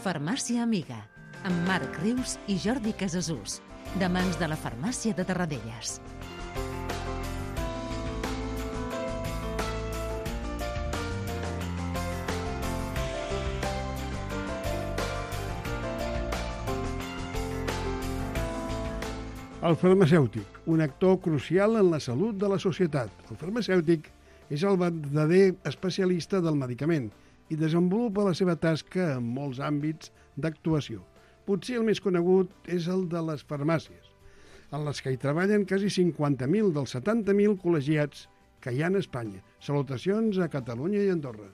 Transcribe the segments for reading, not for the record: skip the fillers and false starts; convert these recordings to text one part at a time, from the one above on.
Farmàcia Amiga, amb Marc Rius i Jordi Casasús, de mans de la Farmàcia de Tarradellas. El farmacèutic, un actor crucial en la salut de la societat. El farmacèutic és el verdader especialista del medicament i desenvolupa la seva tasca en molts àmbits d'actuació. Potser el més conegut és el de les farmàcies, en les que hi treballen quasi 50.000 dels 70.000 col·legiats que hi ha a Espanya. Salutacions a Catalunya i Andorra.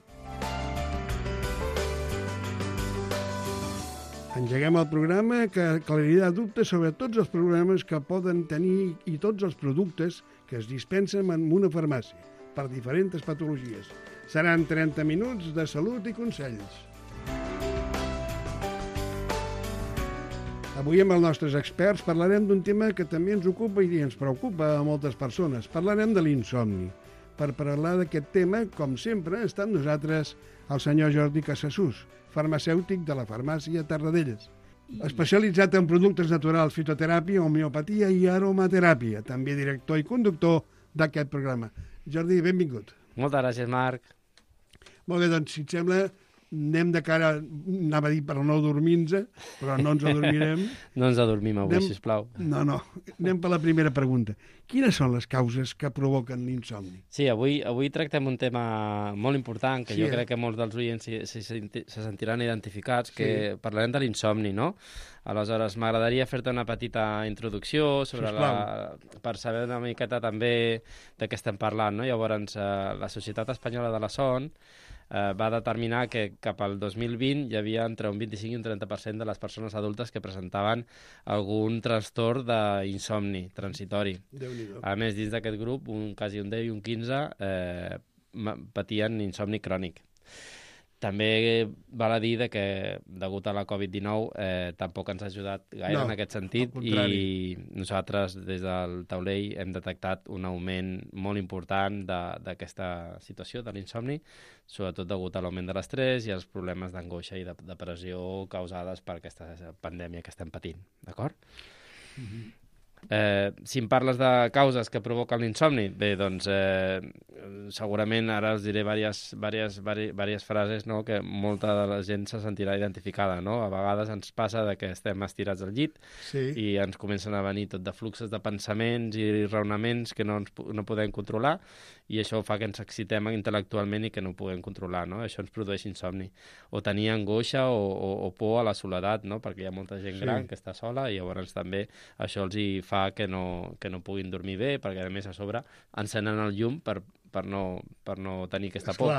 Engeguem el programa que aclarirà dubtes sobre tots els problemes que poden tenir i tots els productes que es dispensen en una farmàcia per diferents patologies. Seran 30 minuts de salut i consells. Avui amb els nostres experts parlarem d'un tema que també ens ocupa i ens preocupa a moltes persones. Parlarem de l'insomni. Per parlar d'aquest tema, com sempre, està amb nosaltres el senyor Jordi Casasús, farmacèutic de la Farmàcia Tarradellas, especialitzat en productes naturals, fitoteràpia, homeopatia i aromateràpia, també director i conductor d'aquest programa. Jordi, benvingut. Moltes gràcies, Marc. Molt bé, doncs, si et sembla, anem de cara, anava a dir per no dormir-nos, però no ens adormirem. No ens adormim avui, sisplau. No, anem per la primera pregunta. Quines són les causes que provoquen l'insomni? Sí, avui tractem un tema molt important, que jo crec que molts dels oients se sentiran identificats, que parlarem de l'insomni, no? Aleshores, m'agradaria fer-te una petita introducció sobre per saber una miqueta també de què estem parlant, no? Llavors, la Societat Espanyola de la Son va determinar que cap al 2020 hi havia entre un 25 i un 30% de les persones adultes que presentaven algun trastorn d'insomni transitori. A més, dins d'aquest grup, quasi un 10 i un 15 patien insomni crònic. També val a dir que, degut a la Covid-19, tampoc ens ha ajudat gaire en aquest sentit i nosaltres, des del taulell, hem detectat un augment molt important d'aquesta situació de l'insomni, sobretot degut a l'augment de l'estrès i als problemes d'angoixa i de depressió causades per aquesta pandèmia que estem patint, d'acord? Si em parles de causes que provoquen l'insomni, bé, doncs segurament ara us diré diverses frases, no?, que molta de la gent se sentirà identificada, no? A vegades ens passa que estem estirats al llit i ens comencen a venir tot de fluxos de pensaments i raonaments que no podem controlar i això fa que ens excitem intel·lectualment i que no ho puguem controlar, no? Això ens produeix insomni. O tenir angoixa o por a la soledat, no? Perquè hi ha molta gent gran que està sola i llavors també això els hi fa que no puguin dormir bé, perquè a més a sobre encenen el llum per no tenir aquesta por.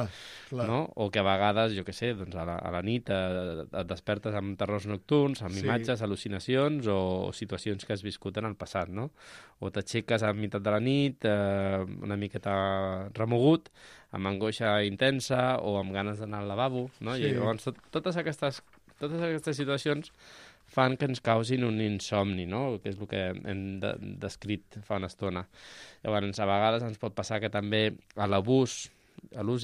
Clar. No? O que a vegades, jo què sé, doncs a la nit et despertes amb terrors nocturns, amb imatges, al·lucinacions o situacions que has viscut en el passat, no? O t'aixeques a meitat de la nit, una miqueta remogut, amb angoixa intensa o amb ganes d'anar al lavabo, no? I llavors totes aquestes situacions fan que ens causin un insomni, no?, que és el que hem descrit fa una estona. Llavors, a vegades ens pot passar que també l'ús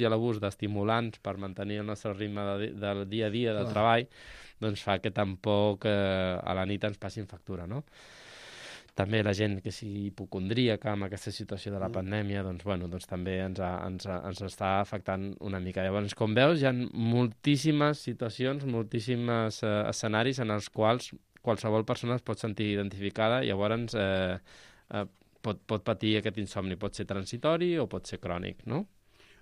i l'abús d'estimulants per mantenir el nostre ritme del dia a dia, del treball, doncs fa que tampoc a la nit ens passin factura, no? També la gent que sigui hipocondríaca amb aquesta situació de la pandèmia, doncs també ens està afectant una mica. Llavors, com veus, hi ha moltíssimes situacions, moltíssims escenaris en els quals qualsevol persona es pot sentir identificada i llavors pot patir aquest insomni. Pot ser transitori o pot ser crònic, no?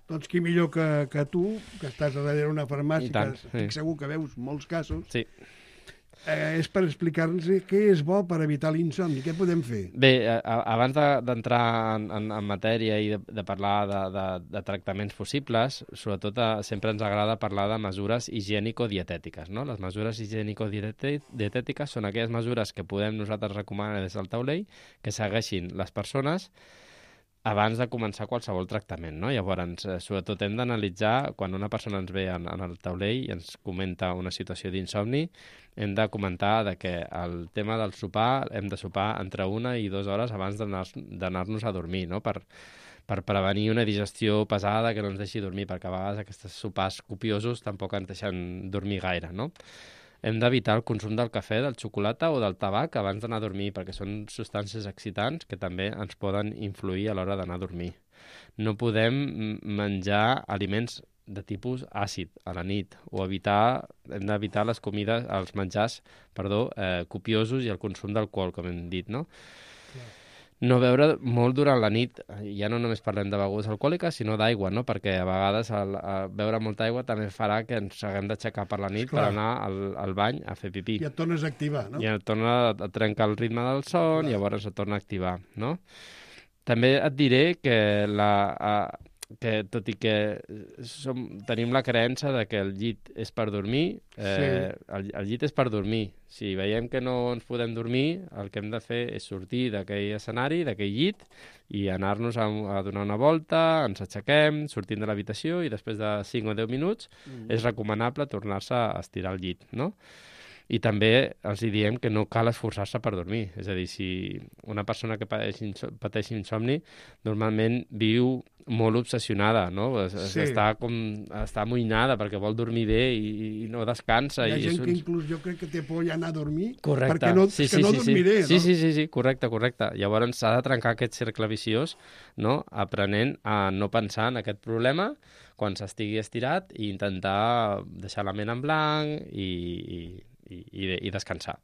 Doncs qui millor que tu, que estàs darrere una farmàcia, que estic segur que veus molts casos, és per explicar-nos què és bo per evitar l'insomni. Què podem fer? Bé, abans d'entrar en matèria i de parlar de tractaments possibles, sobretot sempre ens agrada parlar de mesures higiènico-dietètiques, no? Les mesures higiènico-dietètiques són aquelles mesures que podem nosaltres recomanar des del taulell que segueixin les persones abans de començar qualsevol tractament, no? Llavors, sobretot hem d'analitzar, quan una persona ens ve en el taulell i ens comenta una situació d'insomni, hem de comentar que el tema del sopar, hem de sopar entre 1 i 2 hores abans d'anar-nos a dormir, no? Per prevenir una digestió pesada que no ens deixi dormir, perquè a vegades aquests sopars copiosos tampoc ens deixen dormir gaire, no? hem d'evitar el consum del cafè, del xocolata o del tabac abans d'anar a dormir, perquè són substàncies excitants que també ens poden influir a l'hora d'anar a dormir. No podem menjar aliments de tipus àcid a la nit, o hem d'evitar els menjars, copiosos i el consum d'alcohol, com hem dit, no? No beure molt durant la nit, ja no només parlem de begudes alcohòliques, sinó d'aigua, no? Perquè a vegades beure molta aigua també farà que ens haguem d'aixecar per la nit per anar al bany a fer pipí. I et tornes a activar, no? I et torna a trencar el ritme del son, llavors et torna a activar, no? També et diré que tot i que tenim la creença de que el llit és per dormir, el llit és per dormir. Si veiem que no ens podem dormir, el que hem de fer és sortir d'aquell escenari, d'aquell llit, i anar-nos a donar una volta, ens aixequem, sortim de l'habitació i després de 5 o 10 minuts és recomanable tornar-se a estirar al llit, no? I també els diem que no cal esforçar-se per dormir. És a dir, si una persona que pateix insomni normalment viu molt obsessionada, no? Està amoïnada perquè vol dormir bé i no descansa. Hi ha gent que inclús jo crec que té por ja anar a dormir perquè no dormiré, no? Sí, correcte. Llavors s'ha de trencar aquest cercle viciós, no? Aprenent a no pensar en aquest problema quan s'estigui estirat i intentar deixar la ment en blanc i descansar.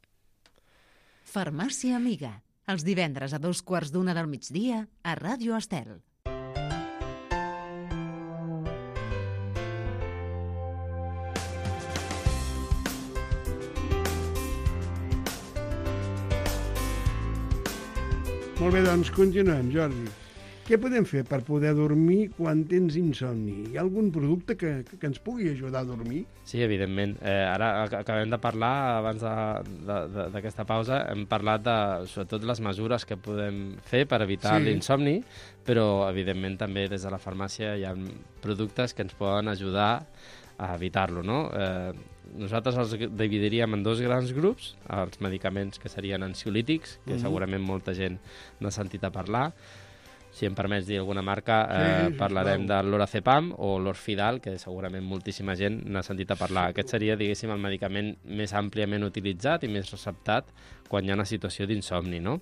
Farmàcia Amiga, els divendres a 2:15 del migdia a Ràdio Estel. Molt bé, doncs continuem, Jordi. Què podem fer per poder dormir quan tens insomni? Hi ha algun producte que ens pugui ajudar a dormir? Sí, evidentment. Ara acabem de parlar, abans d'aquesta pausa, hem parlat de, sobretot, les mesures que podem fer per evitar l'insomni, però, evidentment, també des de la farmàcia hi ha productes que ens poden ajudar a evitar-lo, no? Nosaltres els dividiríem en 2 grans grups, els medicaments que serien ansiolítics, que segurament molta gent n'ha sentit a parlar. Si em permets dir alguna marca, parlarem de l'Orazepam o l'Orfidal, que segurament moltíssima gent n'ha sentit a parlar. Aquest seria, diguéssim, el medicament més àmpliament utilitzat i més receptat quan hi ha una situació d'insomni, no?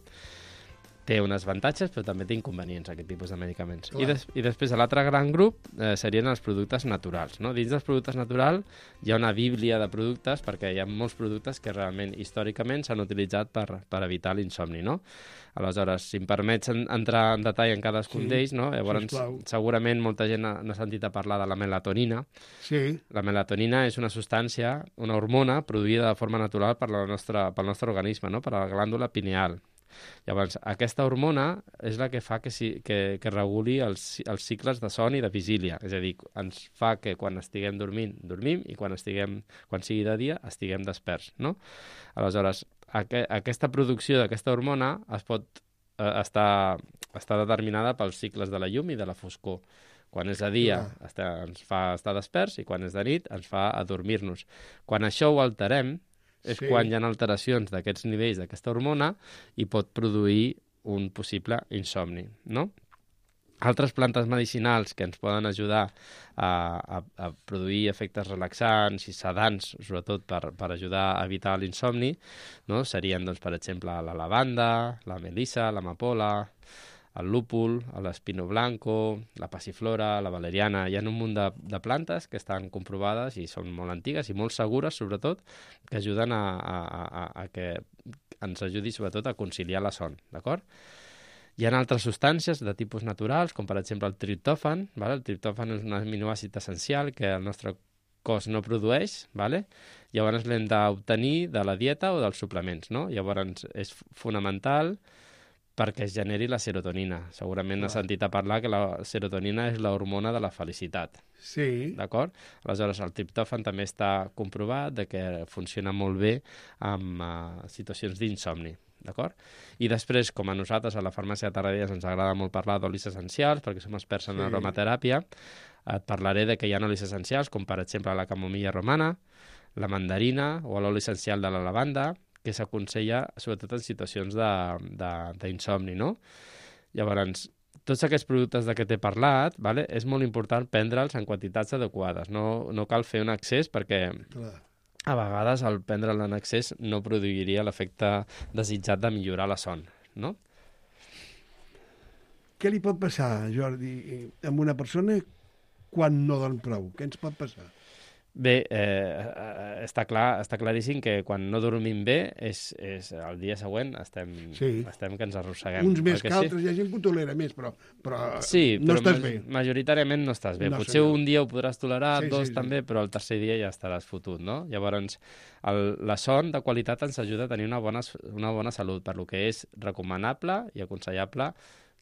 Té uns avantatges, però també té inconvenients, aquest tipus de medicaments. I després, l'altre gran grup serien els productes naturals, no? Dins dels productes naturals hi ha una bíblia de productes, perquè hi ha molts productes que realment, històricament, s'han utilitzat per evitar l'insomni, no? Aleshores, si em permets entrar en detall en cadascun d'ells, no? Llavors, segurament molta gent n'ha sentit a parlar de la melatonina. Sí. La melatonina és una substància, una hormona produïda de forma natural pel nostre organisme, no? Per la glàndula pineal. Llavors, aquesta hormona és la que fa que reguli els cicles de son i de vigília. És a dir, ens fa que quan estiguem dormint, dormim, i quan sigui de dia, estiguem desperts, no? Aleshores, aquesta producció d'aquesta hormona està determinada pels cicles de la llum i de la foscor. Quan és de dia ens fa estar desperts i quan és de nit ens fa adormir-nos. Quan això ho alterem, és quan hi ha alteracions d'aquests nivells d'aquesta hormona i pot produir un possible insomni, no? Altres plantes medicinals que ens poden ajudar a produir efectes relaxants i sedants, sobretot per ajudar a evitar l'insomni, no? Serien, doncs, per exemple, la lavanda, la melissa, l'amapola, el lúpul, l'espino blanco, la passiflora, la valeriana. Hi ha un munt de plantes que estan comprovades i són molt antigues i molt segures, sobretot, que ajuden a que ens ajudi, sobretot, a conciliar la son, d'acord? Hi ha altres substàncies de tipus naturals, com per exemple el triptòfan. El triptòfan és un aminoàcid essencial que el nostre cos no produeix, llavors l'hem d'obtenir de la dieta o dels suplements, no? Llavors és fonamental perquè es generi la serotonina. Segurament has sentit a parlar que la serotonina és l'hormona de la felicitat. Sí. D'acord? Aleshores, el triptòfan també està comprovat que funciona molt bé en situacions d'insomni. D'acord? I després, com a nosaltres a la farmàcia de Tarradellas ens agrada molt parlar d'olis essencials, perquè som experts en aromateràpia, et parlaré de que hi ha olis essencials, com per exemple la camomilla romana, la mandarina o l'oli essencial de la lavanda, que s'aconsella sobretot en situacions d'insomni, no? Llavors, tots aquests productes de què t'he parlat, és molt important prendre'ls en quantitats adequades. No cal fer un excés perquè a vegades el prendre-la en excés no produiria l'efecte desitjat de millorar la son, no? Què li pot passar, Jordi, a una persona quan no dorm prou? Què ens pot passar? Bé, està claríssim que quan no dormim bé és el dia següent estem que ens arrosseguem. Uns més que altres, hi ha gent que ho tolera més, però sí, no estàs bé. Majoritàriament no estàs bé. No, Potser senyor. un dia ho podràs tolerar, Sí, dos sí. també, però el tercer dia ja estaràs fotut, no? Llavors, la son de qualitat ens ajuda a tenir una bona salut, per lo que és recomanable i aconsellable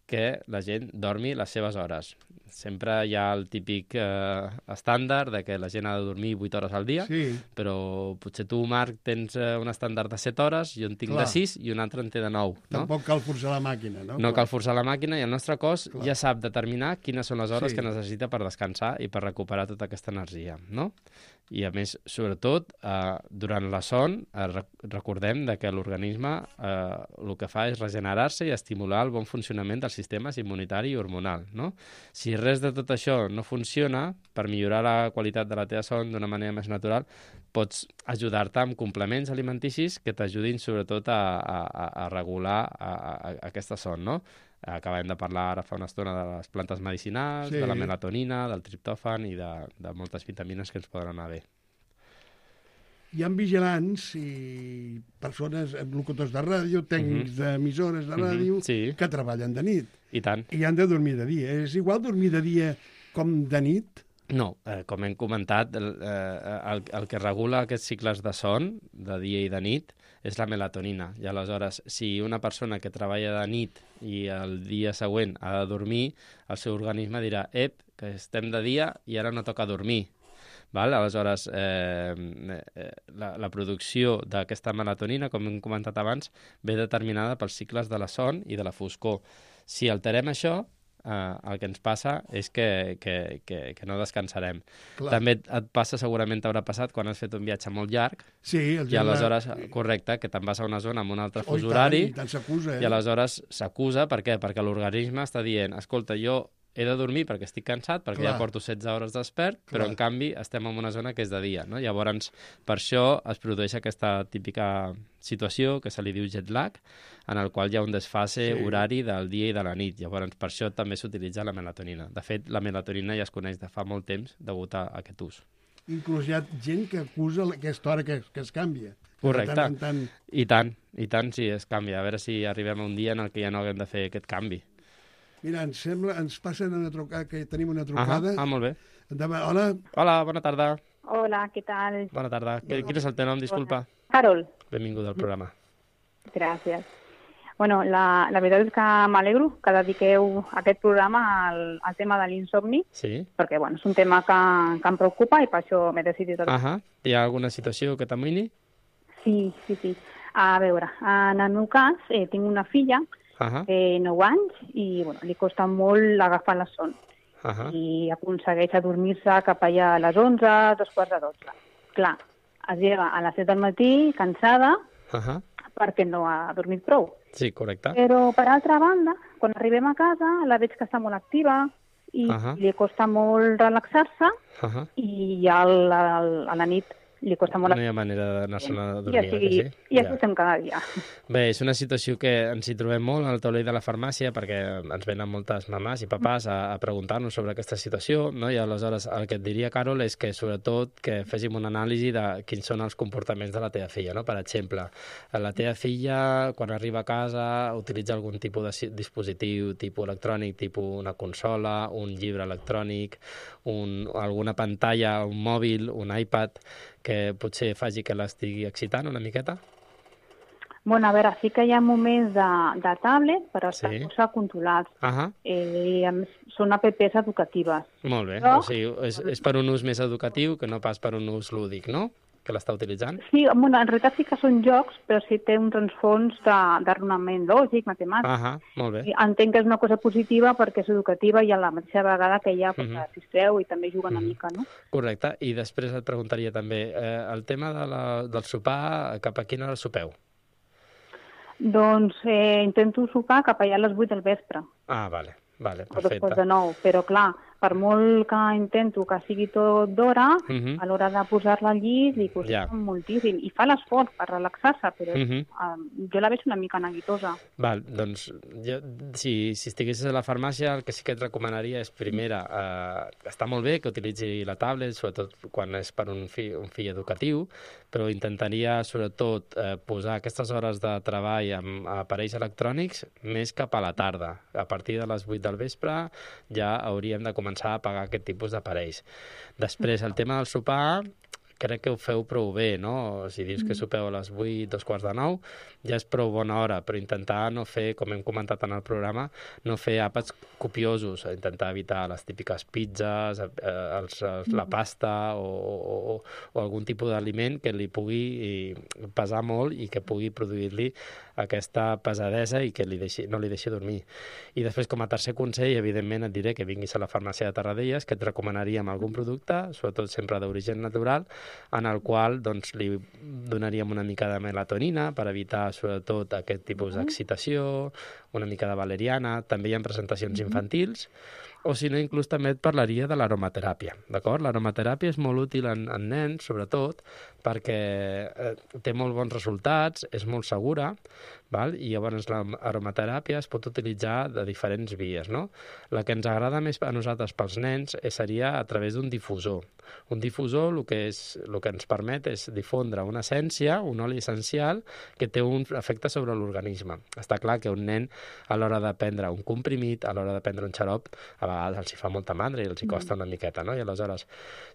que la gent dormi les seves hores. Sempre hi ha el típic estàndard de que la gent ha de dormir 8 hores al dia, però potser tu, Marc, tens un estàndard de 7 hores, jo en tinc de 6 i un altre en té de 9. Tampoc cal forçar la màquina, no? No cal forçar la màquina i el nostre cos ja sap determinar quines són les hores que necessita per descansar i per recuperar tota aquesta energia, no? I, a més, sobretot, durant la son, recordem que l'organisme el que fa és regenerar-se i estimular el bon funcionament dels sistemes immunitari i hormonal, no? Si res de tot això no funciona, per millorar la qualitat de la teva son d'una manera més natural, pots ajudar-te amb complements alimenticis que t'ajudin sobretot a regular aquesta son, no? Acabem de parlar ara fa una estona de les plantes medicinals, de la melatonina, del triptòfan i de moltes vitamines que ens poden anar bé. Hi ha vigilants i persones, locutors de ràdio, tècnics d'emissores de ràdio, que treballen de nit. I tant. I han de dormir de dia. És igual dormir de dia com de nit? No, com hem comentat, el que regula aquests cicles de son, de dia i de nit, és la melatonina. I aleshores, si una persona que treballa de nit i el dia següent ha de dormir, el seu organisme dirà, que estem de dia i ara no toca dormir. Val? Aleshores, la producció d'aquesta melatonina, com hem comentat abans, ve determinada pels cicles de la son i de la foscor. Si alterem això, el que ens passa és que no descansarem. Clar. També et passa, segurament t'haurà passat, quan has fet un viatge molt llarg, i aleshores, correcte, que te'n vas a una zona amb un altre fus horari, i aleshores s'acusa, per què? Perquè l'organisme està dient, escolta, jo he de dormir perquè estic cansat, perquè ja porto 16 hores despert, però en canvi estem en una zona que és de dia, no? Llavors, per això es produeix aquesta típica situació que se li diu jet lag, en el qual hi ha un desfase horari del dia i de la nit. Llavors, per això també s'utilitza la melatonina. De fet, la melatonina ja es coneix de fa molt temps degut a aquest ús. Inclús hi ha gent que acusa aquesta hora que es canvia. Correcte. I tant, sí, es canvia. A veure si arribem a un dia en el que ja no haguem de fer aquest canvi. Mira, ens passen una trucada, que tenim una trucada. Molt bé. Endavant. Hola. Hola, bona tarda. Hola, què tal? Bona tarda. Quin és el teu nom, disculpa? Carol. Benvinguda al programa. Gràcies. Bueno, la veritat és que m'alegro que dediqueu aquest programa al tema de l'insomni, perquè bueno, és un tema que em preocupa i per això m'he decidit. Hi ha alguna situació que t'amoïni? Sí. A veure, en el meu cas, tinc una filla, 9 anys, i bueno, li costa molt agafar la son. I aconsegueix adormir-se cap allà a les 11, 11:45. Clar, es lleva a les 7 del matí, cansada, perquè no ha dormit prou. Sí, correcte. Però, per altra banda, quan arribem a casa, la veig que està molt activa i li costa molt relaxar-se i a la nit li costa molt... No hi ha manera d'anar-se'n a dormir, I així estem cada dia. Bé, és una situació que ens hi trobem molt al taulell de la farmàcia perquè ens venen moltes mamàs i papàs a preguntar-nos sobre aquesta situació, no? I aleshores el que et diria, Carol, és que sobretot que féssim una anàlisi de quins són els comportaments de la teva filla, no? Per exemple, la teva filla, quan arriba a casa, utilitza algun tipus de dispositiu, tipus electrònic, tipus una consola, un llibre electrònic, alguna pantalla, un mòbil, un iPad, que potser faci que l'estigui excitant una miqueta? Bueno, a veure, sí que hi ha moments de tablet, però estan força controlats. Són apps educatives. Molt bé, o sigui, és per un ús més educatiu que no pas per un ús lúdic, no?, que l'està utilitzant? Sí, bueno, en realitat sí que són jocs, però sí té un transfons de raonament lògic, matemàtic. Molt bé. Entenc que és una cosa positiva perquè és educativa i a la mateixa vegada que ella es distreu i també juga una mica, no? Correcte, i després et preguntaria també, el tema del sopar, cap a quina hora sopeu? Doncs intento sopar cap allà a les 8 del vespre. Vale, perfecte. O després de 9, però clar, per molt que intento que sigui tot d'hora, a l'hora de posar-la al llit li costa moltíssim. I fa l'esforç per relaxar-se, però jo la veig una mica neguitosa. Val, doncs, si estiguessis a la farmàcia, el que sí que et recomanaria és, primera, està molt bé que utilitzi la tablet, sobretot quan és per un fill educatiu, però intentaria, sobretot, posar aquestes hores de treball amb aparells electrònics més cap a la tarda. A partir de les 8 del vespre ja hauríem de començar a pagar aquest tipus d'aparells. Després, el tema del sopar, crec que ho feu prou bé, no? Si dius que sopeu a les 8, 8:45, ja és prou bona hora, però intentar no fer, com hem comentat en el programa, no fer àpats copiosos, intentar evitar les típiques pizzas, la pasta o algun tipus d'aliment que li pugui pesar molt i que pugui produir-li aquesta pesadesa i que no li deixi dormir. I després, com a tercer consell, evidentment et diré que vinguis a la farmàcia de Tarradellas, que et recomanaríem algun producte, sobretot sempre d'origen natural, en el qual li donaríem una mica de melatonina per evitar sobretot aquest tipus d'excitació, una mica de valeriana, també hi ha presentacions infantils, o si no, inclús també et parlaria de l'aromateràpia, d'acord? L'aromateràpia és molt útil en nens, sobretot, perquè té molt bons resultats, és molt segura, val? I llavors l'aromateràpia es pot utilitzar de diferents vies, no? La que ens agrada més a nosaltres pels nens seria a través d'un difusor. Un difusor el que ens permet és difondre una essència, un oli essencial, que té un efecte sobre l'organisme. Està clar que un nen, a l'hora de prendre un comprimit, a l'hora de prendre un xarop, a vegades els hi fa molta mandra i els hi costa una miqueta, no? I aleshores,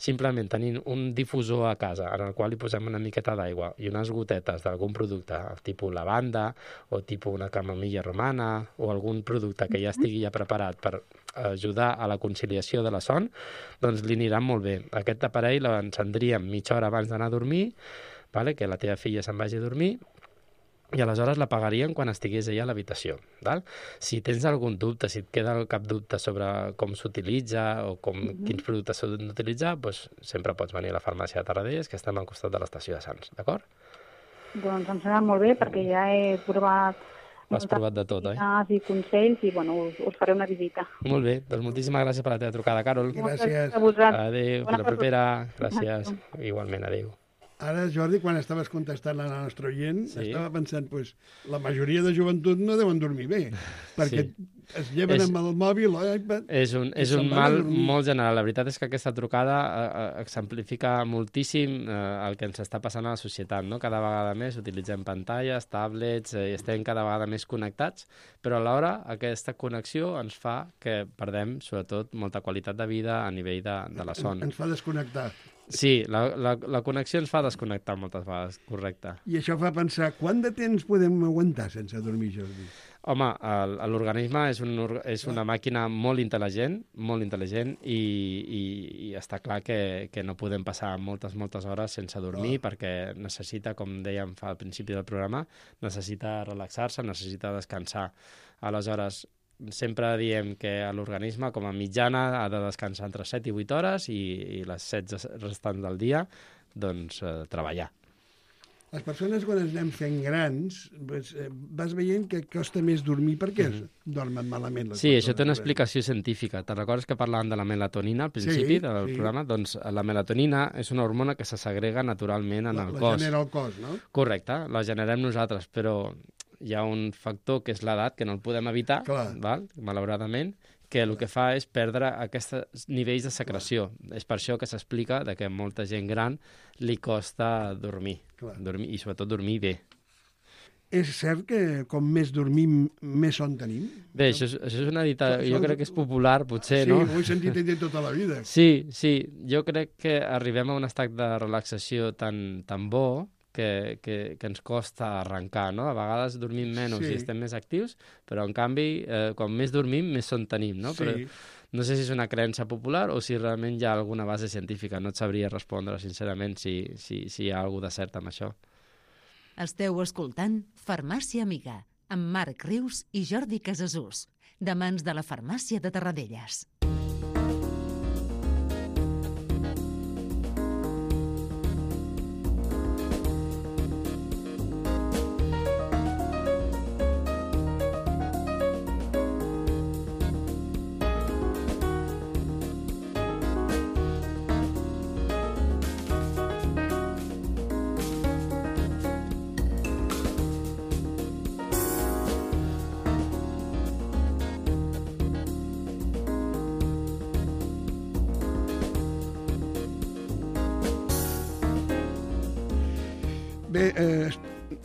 simplement tenint un difusor a casa en el qual hi posem una miqueta d'aigua i unes gotetes d'algun producte, tipus lavanda o tipus una camomilla romana o algun producte que ja estigui ja preparat per ajudar a la conciliació de la son, doncs li anirà molt bé. Aquest aparell l'encendríem mitja hora abans d'anar a dormir, que la teva filla se'n vagi a dormir, i aleshores l'apagaríem quan estigués ella a l'habitació. Si tens algun dubte, si et queda cap dubte sobre com s'utilitza o quins productes s'han d'utilitzar, doncs sempre pots venir a la farmàcia de Tarradellas, que estem al costat de l'estació de Sants, d'acord? Doncs em sembla molt bé, perquè ja he provat... Has provat de tot, oi? I consells, i us faré una visita. Molt bé, doncs moltíssimes gràcies per la teva trucada, Carol. Gràcies. Adéu, fins la propera. Gràcies. Igualment, adéu. Ara, Jordi, quan estaves contestant a la nostra oient, estava pensant, la majoria de joventut no deuen dormir bé, perquè es lleven amb el mòbil o l'iPad... És un mal molt general. La veritat és que aquesta trucada exemplifica moltíssim el que ens està passant a la societat, no? Cada vegada més utilitzem pantalles, tablets, estem cada vegada més connectats, però alhora aquesta connexió ens fa que perdem, sobretot, molta qualitat de vida a nivell de la son. Ens fa desconnectar. Sí, la connexió ens fa desconnectar moltes vegades, correcte. I això fa pensar, quant de temps podem aguantar sense dormir, Jordi? Home, l'organisme és una màquina molt intel·ligent i està clar que no podem passar moltes hores sense dormir perquè necessita, com dèiem al principi del programa, necessita relaxar-se, necessita descansar. Aleshores, sempre diem que l'organisme, com a mitjana, ha de descansar entre 7 i 8 hores i les 16 restants del dia, doncs, treballar. Les persones, quan ens anem fent grans, vas veient que costa més dormir perquè dormen malament. Sí, això té una explicació científica. Te'n recordes que parlàvem de la melatonina al principi del programa? Doncs la melatonina és una hormona que se segrega naturalment en el cos. La genera el cos, no? Correcte, la generem nosaltres, però hi ha un factor que és l'edat, que no el podem evitar, malauradament, que el que fa és perdre aquests nivells de secreció. És per això que s'explica que a molta gent gran li costa dormir, i sobretot dormir bé. És cert que com més dormim, més son tenim? Bé, això és una dita, jo crec que és popular, potser, no? Sí, ho he sentit tota la vida. Sí, jo crec que arribem a un estat de relaxació tan bo que ens costa arrencar, no? A vegades dormim menys i estem més actius, però en canvi, quan més dormim, més son tenim, no? Però no sé si és una creença popular o si realment hi ha alguna base científica. No et sabria respondre, sincerament, si hi ha alguna de cert amb això. Esteu escoltant Farmàcia Amiga, amb Marc Rius i Jordi Casasús, de mans de la Farmàcia de Tarradellas. Bé,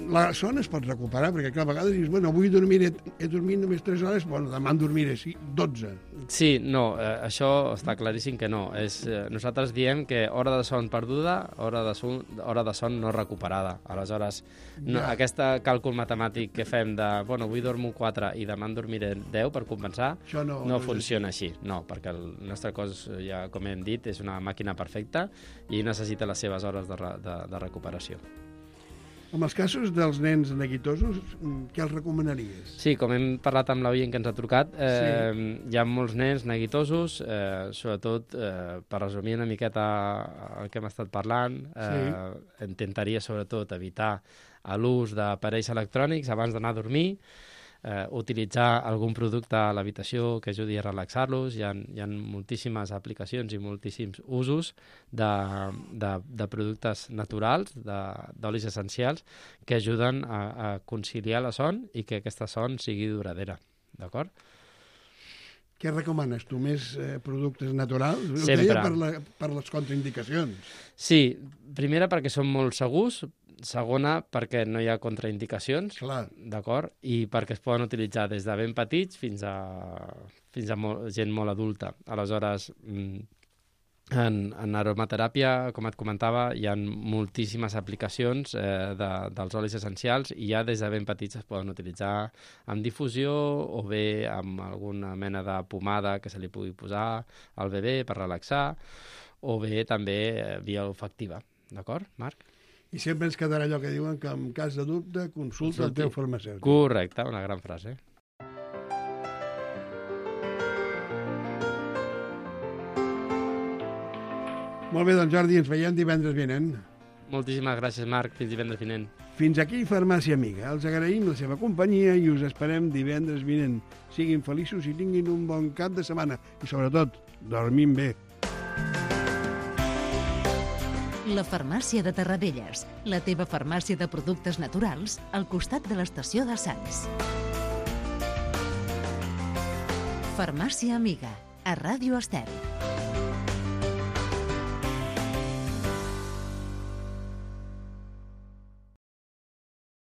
la son es pot recuperar, perquè clar, a vegades dius, bueno, avui he dormit només 3 hores, bueno, demà en dormiré 12. Sí, no, això està claríssim que no. Nosaltres diem que hora de son perduda, hora de son no recuperada. Aleshores, aquest càlcul matemàtic que fem de, bueno, avui dormo 4 i demà en dormiré 10 per compensar, no funciona així. No, perquè el nostre cos, ja com hem dit, és una màquina perfecta i necessita les seves hores de recuperació. En els casos dels nens neguitosos, què els recomanaries? Sí, com hem parlat amb l'oient que ens ha trucat, hi ha molts nens neguitosos, sobretot, per resumir una miqueta el que hem estat parlant, intentaria sobretot evitar l'ús d'aparells electrònics abans d'anar a dormir, utilitzar algun producte a l'habitació que ajudi a relaxar-los. Hi ha moltíssimes aplicacions i moltíssims usos de productes naturals, d'olis essencials, que ajuden a conciliar la son i que aquesta son sigui duradera. D'acord? Què recomanes tu? Més productes naturals? Sempre. Ho deia per les contraindicacions. Sí, primera perquè són molt segurs, segona perquè no hi ha contraindicacions, d'acord? I perquè es poden utilitzar des de ben petits fins a gent molt adulta. Aleshores, en aromateràpia, com et comentava, hi ha moltíssimes aplicacions dels olis essencials i ja des de ben petits es poden utilitzar amb difusió o bé amb alguna mena de pomada que se li pugui posar al bebè per relaxar o bé també via olfactiva. D'acord, Marc? I sempre ens quedarà allò que diuen que en cas de dubte consulta el teu farmacèutic. Correcte, una gran frase. Molt bé, doncs Jordi, ens veiem divendres vinent. Moltíssimes gràcies, Marc. Fins divendres vinent. Fins aquí Farmàcia Amiga. Els agraïm la seva companyia i us esperem divendres vinent. Siguin feliços i tinguin un bon cap de setmana. I sobretot, dormim bé. La Farmàcia de Terradelles, la teva farmàcia de productes naturals al costat de l'estació de Sants. Farmàcia Amiga, a Ràdio Estel.